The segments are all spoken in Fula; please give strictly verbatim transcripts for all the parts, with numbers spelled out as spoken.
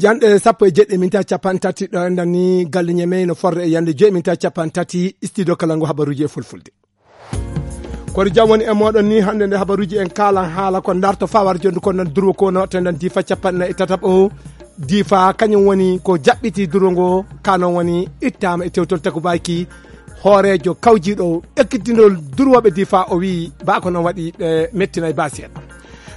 Janɗe sappo e jeɗɗi minti capanɗe tati ɗo enɗan ni galle Ñamey no forde e yande joyi minti capanɗe tati, studio kala ngu habaruji e fulfulde. Kono jam woni e moɗon ni hannde nde habaruji en kaalan haala ko darto fawar jondu ko nan durwo ko no tendan difa capanɗe e tataɓo. Difa kañum woni ko jaɓɓiti durwo ngo, kanon woni ittama e tewtol takubayki. Hooreejo kawjiiɗo ekkitinol durwooɓe difa o wi ba ko non waɗi ɓe mettinay ba seeɗa.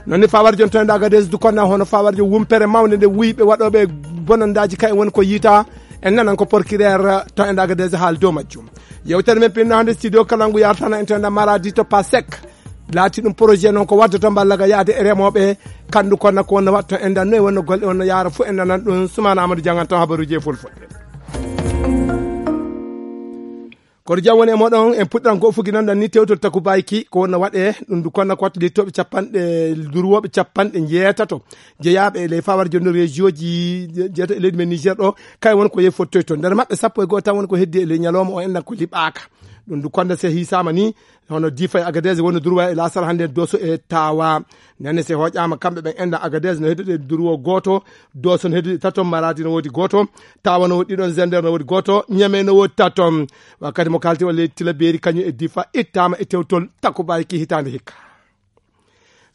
Non ni fawar jon toon Agadez du konna hono fawar jon wumpere mawnde nde wuyi ɓe waɗooɓe bonandaaji kay woni ko yiita. En nanan ko porkireer to en Agadez haal dow majjum. Yewtere men pinno hannde studio kala ngu yartana en to en Maradi to Pasek. Laati ɗum projet noon ko waddoto mballaga yaade e remooɓe. Kandu konna ko wonno waɗto en dan noy wonno golle wonno yaara fof en nanan ɗum. Sumana Amadou Jangan to habaruji e fulfulde. Koto jam woni e moɗon en puɗɗan ko fuginanɗan ni tewtol takubayki ko wonno waɗe. Ɗum du konna ko watta littoɓe capanɗe durwoɓe capanɗe jeetato jeyaaɓe e ley fawar jonno régioji jeeta e leydi men Niger ɗo. Kay won ko yehi fottoy toon nder maɓɓe sappo e goho tan woni ko heddi e ley ñalawma o enɗan ko liɓaaka. Ɗum du konna se hisama ni hono difa e Agadez woni durwa e lasara hannde doso e tawa. Nane se hoƴama kamɓe ɓen enɗan Agadez no heddude durwo goto, doso no heddude tato, Maradi no wodi goto, tawa no wodi ɗiɗon, Zender no wodi goto, Ñamey no wodi tato. Wakkati mo kalti o leydi tila beeri kañum e difa ittama e tewtol takubayki hitande hikka.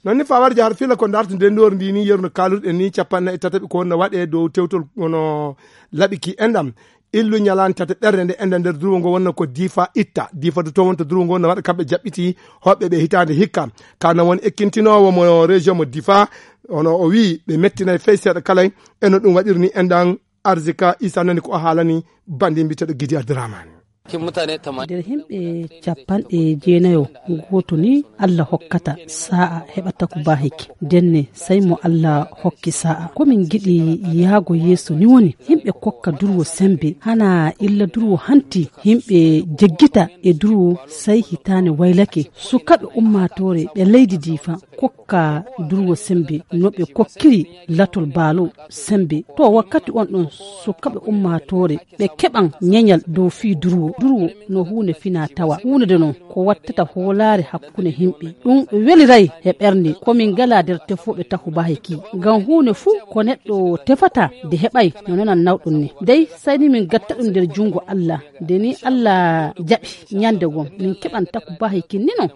Non ni fawar jahar fila ko darto ndendor ndi ni yerno kalurɗen ni capanɗe e tataɓi ko wonno waɗe dow tewtol hono laɓiki enɗam. Illu ñalande tata ɓernde nde enɗan nder durwo ngo wonno ko difa itta difa du to wonto durwo ngo wonno waɗa kamɓe jaɓɓiti hoɓɓe ɓe hitande hikka. Kana woni ekkintinoowo mo région mo difa. Ono o wi ɓe mettinay fey seeɗa kalay. Eno ɗum waɗirni enɗan arzika isa nani ko o haalani bandi mbiteɗo gidi adramani. Nder himɓe capanɗe jeenayo gooto ni Allah hokkata sa'a heɓata ko bahiki. Ndenne sai mo Allah hokki sa'a. Ko min giɗi yaago yeeso ni woni himɓe kokka durwo sembe hana illa durwo hanti himɓe jeggita e durwo sai hitane waylake. Sukaɓe ummatore ɓe leydi difa kokka durwo sembe no ɓe kokkiri latol baalo sembe. To wakkati on ɗon sukaɓe ummatore ɓe keɓan ñeñal dow fii durwo. Durwo no huunde fina tawa. Huunde de non ko wattata hoolaare hakkunde himɓe. Ɗum weliray he ɓernde. Ko min ngala nder tefooɓe takubahi ki. Ngam huunde fuu ko neɗɗo tefata de heɓay no nanan nawɗum ni. Dey sayni min gatta ɗum nder junngo Allah. Nde ni Allah jaɓi ñande gom min keɓan takubahi kin ni non.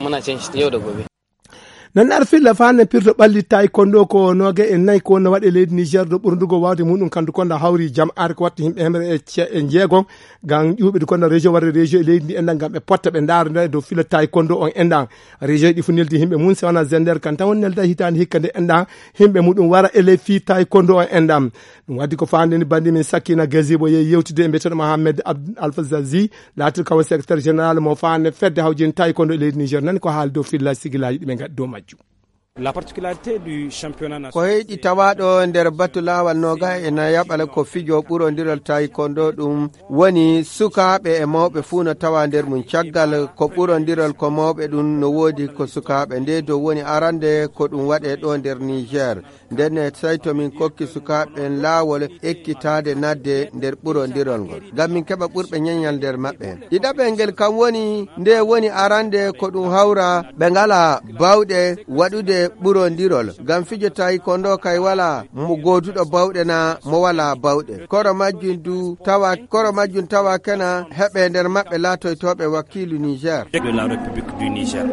Nan ar filla fa ne pirto ɓalli taekwondo ko noge e nayi ko wonno waɗe leydi Niger ɗo ɓurndugo wawde muɗum kandu konda hawri jam ar ko watta yimɓe hemre e ce- e jeego. Ngam ƴuɓe du konda région warde région e leydi ndi enɗan ngam ɓe potta ɓe ndaara nda e dow filla taekwondo on enɗan. Région ɗi fu neldi yimɓe mum se wona Zender kan tan woni nelda hitaande hikka nde enɗan yimɓe muɗum wara e ley fii taekwondo on enɗan. Ɗum waddi ko faande ni bandi min Sakina Gazibo yehi yewtude e mbiyeteeɗo Mohamed Abd Alfa Zazi. Laatirka o secrétaire général mo faande fedde hawjin taekwondo e leydi Niger nani ko haali dow filla sigilaji ɗi ɓe ngaddi dow majjum. La particularité du championnat national. Ko heyɗi tawaɗo nder batu lawal noga e nayaɓal ko fijo ɓurondiral taekwondo ɗum woni sukaaɓe e mawɓe fuu no tawa nder mum caggal ko ɓurondiral ko mawɓe ɗum no woodi ko sukaaɓe nde dow woni arande ko ɗum waɗe ɗo nder Niger. Nden ne, tawi to min kokki sukaaɓe ɓen laawol ekkitaade naatde nder ɓurondirol ngol, ngam min keɓa ɓurɓe ñeñal nder maɓɓe. Ɗiɗaɓel ngel kam woni, nde woni arande ko ɗum hawra ɓe ngalaa baawɗe waɗude ɓurondirol, ngam fijo taekwondo kay walaa mo gooduɗo baawɗe naa mo walaa baawɗe. Koro majjum du tawa, koro majjum tawa kena heɓe nder maɓɓe laatoytooɓe wakiilu Niger. De la République du Niger.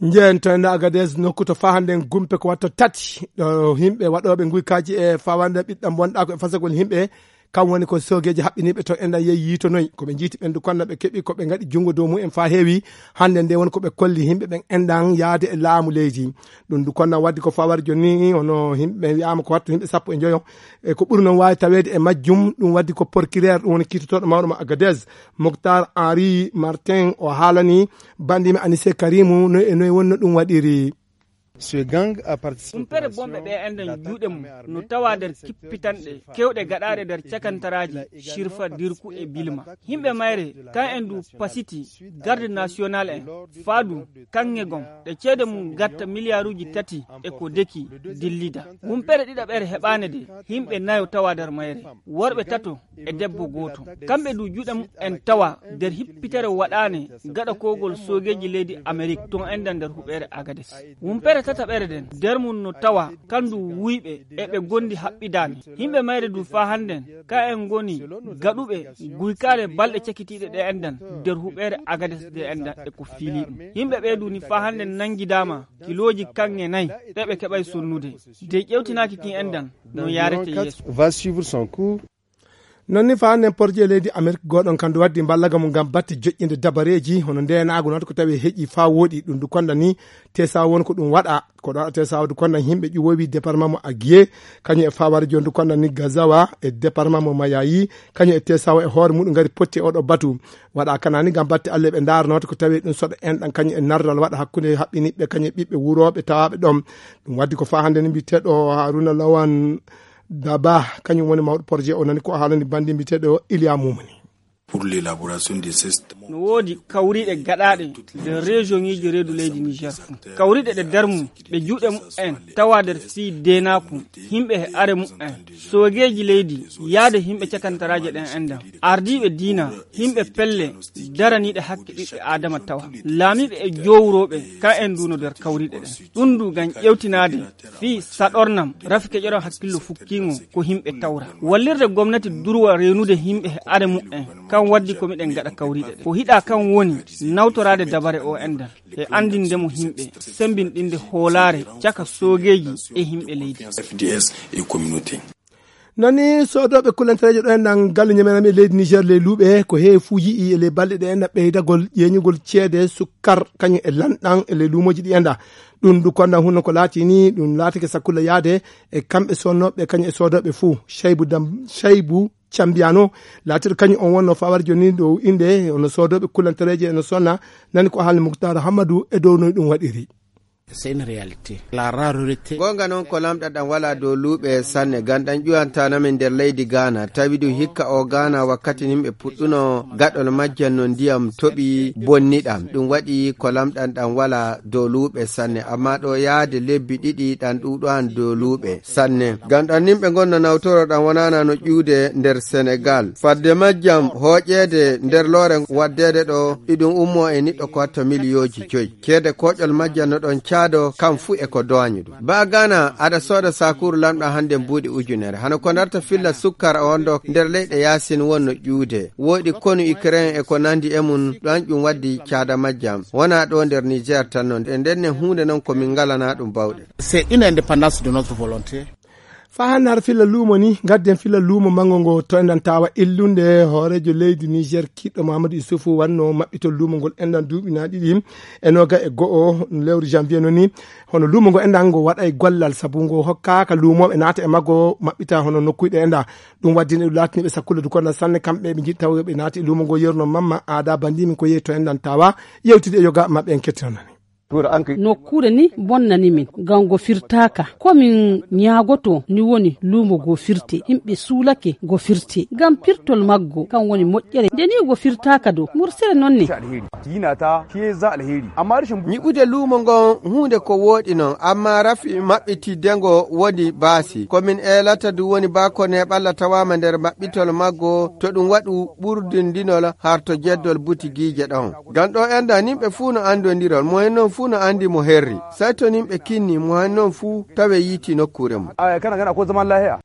Njeen to enda Agadez nokku to faa hannden gumpe ko watta tati. Ɗo himɓe waɗooɓe nguykaaji e fawande ɓiɗɗam wonɗaa ko e fasagol himɓe. Kam woni ko soogeeji haɓɓiniiɓe to enɗan yehi yiitonoy. Ko ɓe njiiti ɓendu konna ɓe keɓi ko ɓe ngaɗi junngo dow mumen faa heewi. Hannde nde woni ko ɓe kolli himɓe ɓen enɗan yaade e laamu leydi. Ɗum du konna waddi ko fawar jonni hono himɓe wiyaama ko wattu himɓe sappo e njoyo. E ko ɓuri noon waawi taweede e majjum, ɗum waddi ko porkireer, ɗum woni kiitotooɗo mawɗo mo Agadez, Moctar Henri Martin, o haalani banndimi Anise Karimu, noy e noy wonno ɗum waɗiri. Humpere bomɓe ɗe enden juuɗe mum no tawa nder kippitanɗe kewɗe gaɗaaɗe nder cakantaraaji Shirfa, Dirku e Bilma. Yimɓe mayre, kan en du pasiti garde national en, faadu kaŋŋe gom, ɗe ceede mum gatta miliyaaruuji tati e ko deki dillida. Humpere ɗiɗaɓere heɓaane de, yimɓe nayo tawa nder mayre, worɓe tato e debbo gooto. Kamɓe du juuɗe mum en tawa nder hippitere waɗaane gaɗa kogol soogeeji leydi Amerik ton enden nder huɓeere Agades. Humpere tataɓere den, nder mum no tawa kan du wuyɓe e ɓe gondi haɓɓidaani. Yimɓe mayre du faa hannden, ka en ngoni gaɗuɓe guykaale balɗe cakitiiɗe ɗe enden nder huɓeere Agades ɗe enden e ko fiili ɗum. Yimɓe ɓe du ni faa hannden nangidaama kilooji kaŋŋe nayi ɗe ɓe keɓay sonnude. De ƴewtinaaki kin enden no yaarete yeeso. Va suivre son cours. Non ni faa hannden porje leydi Amerik gooɗon kan du waddi mballaga mum ngam batte joƴƴinde dabareeji hono ndeenaagu noon ko tawi heƴi faa wooɗi ɗum du konda ni tesa won ko ɗum waɗa. Ko ɗo tesa du konda yimɓe ƴuwowi département mo Aguier, kañum e fawari joni du konda ni Gazawa e département mo Mayayi, kañum e tesa o e hoore muɗum ngari potti e oɗo batu. Waɗa kana ni ngam batte alle ɓe ndaaranoto ko tawi ɗum soɗo en ɗan kañum e nardal waɗa hakkunde haɓɓiniɓɓe kañum e ɓiɓɓe wurooɓe tawaaɓe ɗon. Ɗum waddi ko faa hannde ni mbiyeteeɗo Haruna Lawan Daba, kañum woni mawɗo projet o, nani ko haalani bandi mbiyeteeɗo Iliya Mumani. Pour l'élaboration des cestes. No woodi kawriiɗe gaɗaaɗe nder région ŋiiji reedu leydi Niger fuu. Kawriiɗe ɗe nder mum ɗe juuɗe mumen tawa nder fii deenaaku, yimɓe e are mumen, soogeeji leydi, yaade yimɓe cakantaraaje ɗen enɗan. Ardiiɓe diina, yimɓe pelle daraniiɗe hakke ɓiɓɓe Aadama tawa. Laamiiɓe e jowrooɓe, ka en du no nder kawriiɗe ɗen. Ɗum du ngam ƴewtinaade fii saɗornam, rafi keƴoram hakkillo fukkiingo ko yimɓe tawra. Wallirde gomnati durwa reenude yimɓe e are mumen, kan waddi ko miɗen gaɗa kawriiɗe ɗen. Ko hiɗa kan woni nawtoraade dabare o enɗan e anndinde mo yimɓe, sembinɗinde hoolaare caka soogeeji e yimɓe leydi. F D S et communauté. Nani soodooɓe kulantareeje ɗo enɗan galle ñamerami e leydi Niger ley luuɓe ko heewi fuu yi'i e ley balɗe ɗe enɗan ɓeydagol ƴeeñugol ceede sukkar kañum e lanɗan e ley luumooji ɗi enɗan. Ɗum du kondan hunno ko laati ni, ɗum laatike sakkulla yaade e kamɓe sonnooɓe kañum e soodooɓe fuu. Caybu Dam-, Caybu Cambiano laatiɗo kañum on wonno fawar joni dow innde hono soodooɓe kulantareeje eno sonna. Nani ko haalni Muktar Hammadou e dow noy ɗum waɗiri. C'est une réalité. La rareté. Goonga noon ko lamɗam ɗam walaa dow luuɓe sanne, ngam ɗam ƴuwantaano min nder leydi Gaana, tawi du hikka o Gaana wakkati yimɓe puɗɗuno gaɗol majjan no ndiyam toɓi bonni ɗam. Ɗum waɗi ko lamɗam ɗam walaa dow luuɓe sanne, ammaa ɗo yaade lebbi ɗiɗi ɗam ɗuuɗoyan dow luuɓe sanne. Ngam ɗam yimɓe ngonno nawtoro ɗam wonaana no ƴuude nder Senegal. Fadde majjam hooƴeede nder loore waddeede ɗo, iɗum ummo e niɗɗo ko watta miliyooji joyi. Ceede kooƴol majjam no ɗon caado, kam fuu e ko dooñi ɗum. Ba Gaana, aɗa sooda sakuuru lamɗam hannde mbuuɗi ujunere. Hano ko ndarta filla sukkar on ɗo nder leyɗe yaasin wonno ƴuude. Woodi konu Ukraine e ko nandi e mum, ɗon ɗum waddi caada majjam. Wonaa ɗo nder Niger tan non. E nden ne huunde non ko min ngalanaa ɗum bawɗe. C'est une indépendance de notre volonté. Faa hannde har filla luumo ni, ngadden filla luumo manngo ngo to enɗan tawa illunde hooreejo leydi Niger kiɗɗo Mahamadou Issoufou wanno maɓɓitol luumo ngol enɗan duuɓi na ɗiɗi e noga e go'o lewru janvier non ni. Hono luumo ngo enɗan ngo waɗay gollal sabu ngo hokkaaka luumooɓe naata e maggo maɓɓita hono nokkuyɗe enɗan. Ɗum waddi ne laatiniɓe sakkulle du konɗan sanne kamɓe ɓe njiɗi tawa ɓe naati e luumo ngo yerno mamma aada bandi min ko yehi to enɗan tawa yewtide e yoga maɓɓe en kettinanani. Nokkuure ni bonnani min, ngam ngo firtaaka. Ko min ñaagoto ni woni luumo ngo firte. Yimɓe suulake ngo firte. Ngam pirtol maggo, kan woni moƴƴere. Nde ni ngo firtaaka dow, mursere non ne. Yinata, shi ya za alheri. Amma rashin nyiɓude luumo ngon huunde ko wooɗi non, amma rafi maɓɓitidde ngo woni baasi. Ko min eelata du woni ba ko neeɓalla tawaama nder maɓɓitol maggo, to ɗum waɗu ɓurdindinol har to jeddol butigiije ɗon. Ngam ɗo enɗan yimɓe fuu no anndondirol, mo hen non fuu no anndi mo herri. Sey to yimɓe kinni, mo hen non fuu tawe yiiti nokkuure mum. Aya, kana gana ko zaman lahiya.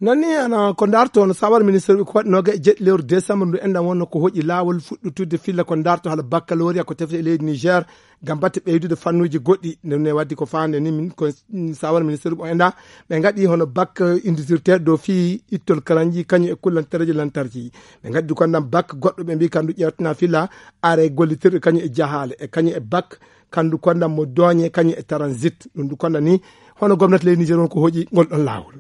Non ni ana ko ndarto no sawar ministre ko waɗi noga e jeɗɗi lewru décembre ndu enɗan wonno ko hoƴi laawol fuɗɗutude filla ko ndarto hala baccalauréat ko tefte e leydi Niger ngam batte ɓeydude fannuuji goɗɗi. Nde ne waddi ko faande ni min ko sawar ministre o enɗan ɓe ngaɗi hono bac indisirteeɗo dow fii ittol karanji kañum e kullantereeji lantarki. Ɓe ngaɗi du kondan bac goɗɗo ɓe mbii kan du ƴeewtana filla are gollitirɗe kañum e jahaale e kañum e bac kan du kondan mo dooñe kañum e transit. Ɗum du kondan ni hono gomnati leydi Niger won ko hoƴi ngol ɗon laawol.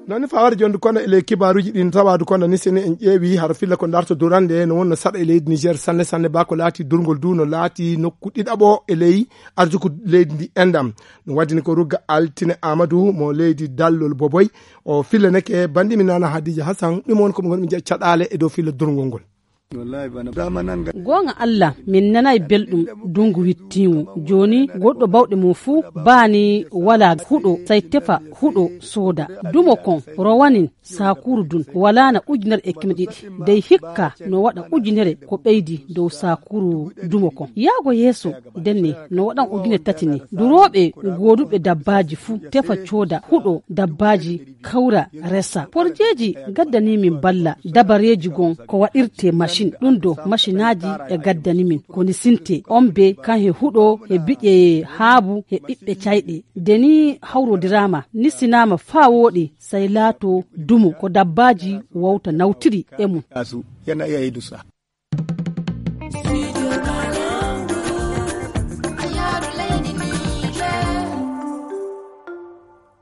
Noon ne fawaade jonde kono e ley kibaaruuji ɗin tawaadu kono ni sene en ƴeewi hara filla ko darto durande no wonno saɗa e leydi Niger sanne sanne ba ko laati durngol du no laati nokku ɗiɗaɓo e ley arsuku leydi ndi endam. Ɗum waddini ko rugga altine Amadou mo leydi dallol boboy o fillaneke bandi mi nana Hadija Hassan ɗum won ko ɓe ngonmi jeeya caɗaale e dow filla durngol ngol. Goonga Allah min nanay belɗum dungu wittiimu jooni goɗɗo bawɗe mum fuu baani wala huɗo say tefa huɗo sooda dumo kon rowanin saakuru dun walaana ujunere e keme ɗiɗi dey hikka no waɗa ujunere ko ɓeydi dow saakuru dumo kon yaago yeeso denne no waɗan ujunere tati ni durooɓe gooduɓe dabbaaji fuu tefa cooda huɗo dabbaaji kawra resa porjeeji gaddanii min balla dabareeji gon ko waɗirtee macin ɗum do macinaaji e gaddani min ko ni sintee on be kan he huɗo he biƴe haabu he ɓiɓɓe cayɗe de ni hawrodiraama ni sinaama faa wooɗi say laatoo dumo ko dabbaaji wawta nawtiri e mum.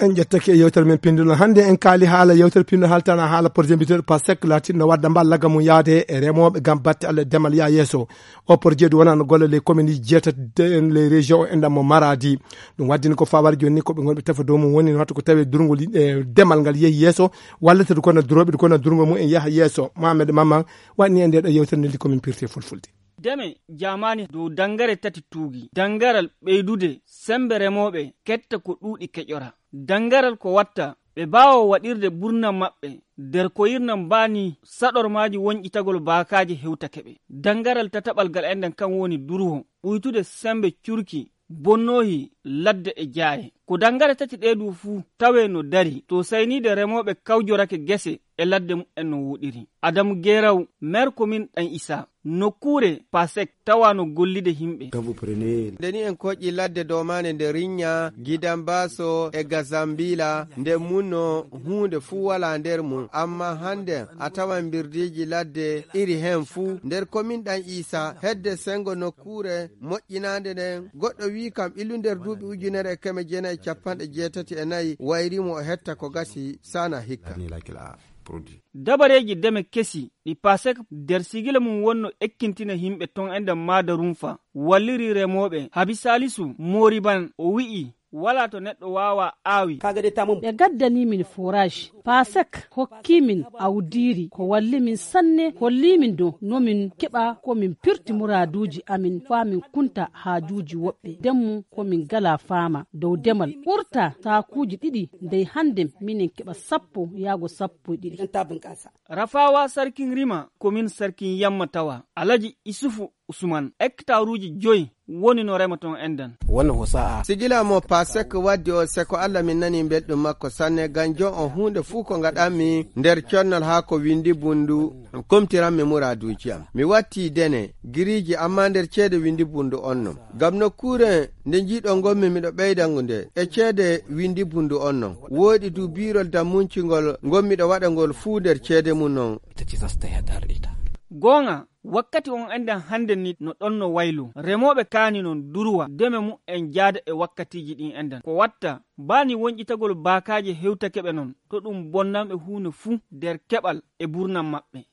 En ƴettake e yewtere men pinndunoo hannde en kaali haala yewtere pinndo haaltana haala projet mbiteeɗo pasek laatinno wadda mbal lagga mum yaade e remooɓe ngam batte allah e demal yaa yeeso. O projet du wonano golle ley commune ji jeetati en ley région o enɗan mo maradi. Ɗum waddini ko fawar joni ni koɓe gonɓe tefa dow mum woni no watta ko tawi durgol e demal ngal yeehi yeeso wallata du kono durooɓe du kono durgol mum en yaha yeeso mohamed mamma. Waɗni e nde ɗo yewtere nde ndi komin pirte fulfulde. Deme jamani dow dangare tati tuugi dangaral ɓeydude sembe remooɓe ketta ko ɗuuɗi keƴora dangaral ko watta ɓe mbaawa waɗirde ɓurna maɓɓe nder koyirna mbaani saɗormaaji woñƴitagol baakaaji hewtake ɓe. Dangaral tataɓal gal enɗen kan woni durwo ɓuytude sembe curki bonnoohi ladde e jaaye. Ko danngare tati ɗee du fuu tawee no darii to sayniide remooɓe kawjorake gese e ladde mumen no wooɗiri. Adamu Geeraw, meer komin Ɗan Isaa, nokkuure Pasek tawaa no gollude yimɓe. Nde ni en koƴƴi ladde domaande nde Riñña, Gidan Baaso e Gazambiila nde munno huunde fuu walaa nder mum. Ammaa hannden a tawan mbirdiiji ladde iri heen fuu. Nder komin Ɗan Isaa, hedde senngo nokkuure moƴƴinaande nden, goɗɗo wiyi kam ilu nder duuɓi ujunere e keme jeenayi e cappanɗe jeetati e nayi wayri mo o hetta ko gasi saanaa hikka. Dabareeji deme kesi ɗi Pasek nder sigila mum wonno ekkintina yimɓe ton e nder Maada Rumfa walliri remooɓe Habi Saalisu Mooriban o wi'i walaa to neɗɗo waawaa aawi. Ɓe gaddanii min forage Pasek hokkii min awdiiri ko walli min sanne hollii min dow no min keɓa ko min pirti muraaduuji amin faa min kunta haajuuji woɓɓe ndemmu ko min ngalaa faama dow demal ɓurta saakuuji ɗiɗi ndey hannden minen keɓa sappo yaago sappo e ɗiɗi. Rafaawa sarkin rima komin sarkin yamma tawa alaji isufu usuman ektaaruuji joyi woni no rema ton enɗan. Wonno ko sa'a. Sigila mo Pasek waddi o seko Allah min nani belɗum makko sanne ganjo on huunde fuu ko ngaɗanmi nder connol haa ko windi bundu. Komtiranmi muraaduuji am mi watti dene giriiji amma nder ceede windi bundu on non. Ngam nokkuure nde njiiɗon ngonmi miɗo ɓeyda nde e ceede windi bundu on non. Wooɗi du biirol dammuncingol ngol miɗo waɗa ngol fuu nder ceede mum non. Goonga wakkati on enɗan hannde ni no ɗon no waylo remooɓe kaani non durwa deme mumen jaada e wakkatiiji ɗin enɗan ko watta baani woñƴitagol baakaaje hewtake ɓe non to ɗum bonnan ɓe huunde fuu nder keɓal e burnam maɓɓe.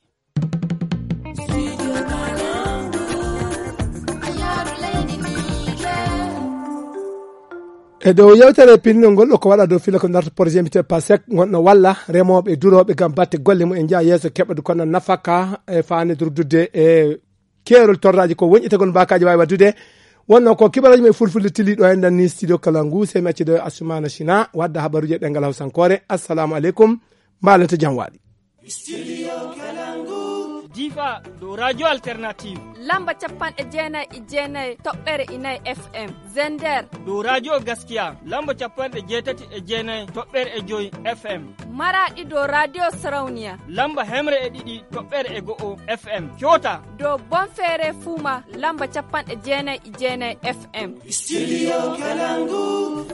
E dow yewtere pinndol ngol ko waɗa dow fila ko darta projet mbite pasek gonɗo walla remooɓe e durooɓe ngam batte golle mum en njaha yeeso keɓa du kono nafaka e faanidurdudde e keerol torraaji ko woñƴitagol mbaakaaji waawi waɗdude. Wonno ko kibaraaji men fulfulde tiliiɗo en ɗan ni studio kala ngu sey mi accido e assumaana sina wadda habaruuji e ɗengal hawsankoore. Assalamu aleykum. Mbaalante jam waali. Difa dow radio alternative lamba capanɗe jeenayi e jeenayi toɓɓere inayi. Fm zender dow radio gaskiya lamba capanɗe jeetati e jeenayi toɓɓere e joyi. Fm maraɗi dow radio sarauniya lamba hemre e ɗiɗi toɓɓere e go'o. Fm coota dow bonfeere fuuma lamba capanɗe jeenayi e jeenayi. Fm studio kalangu.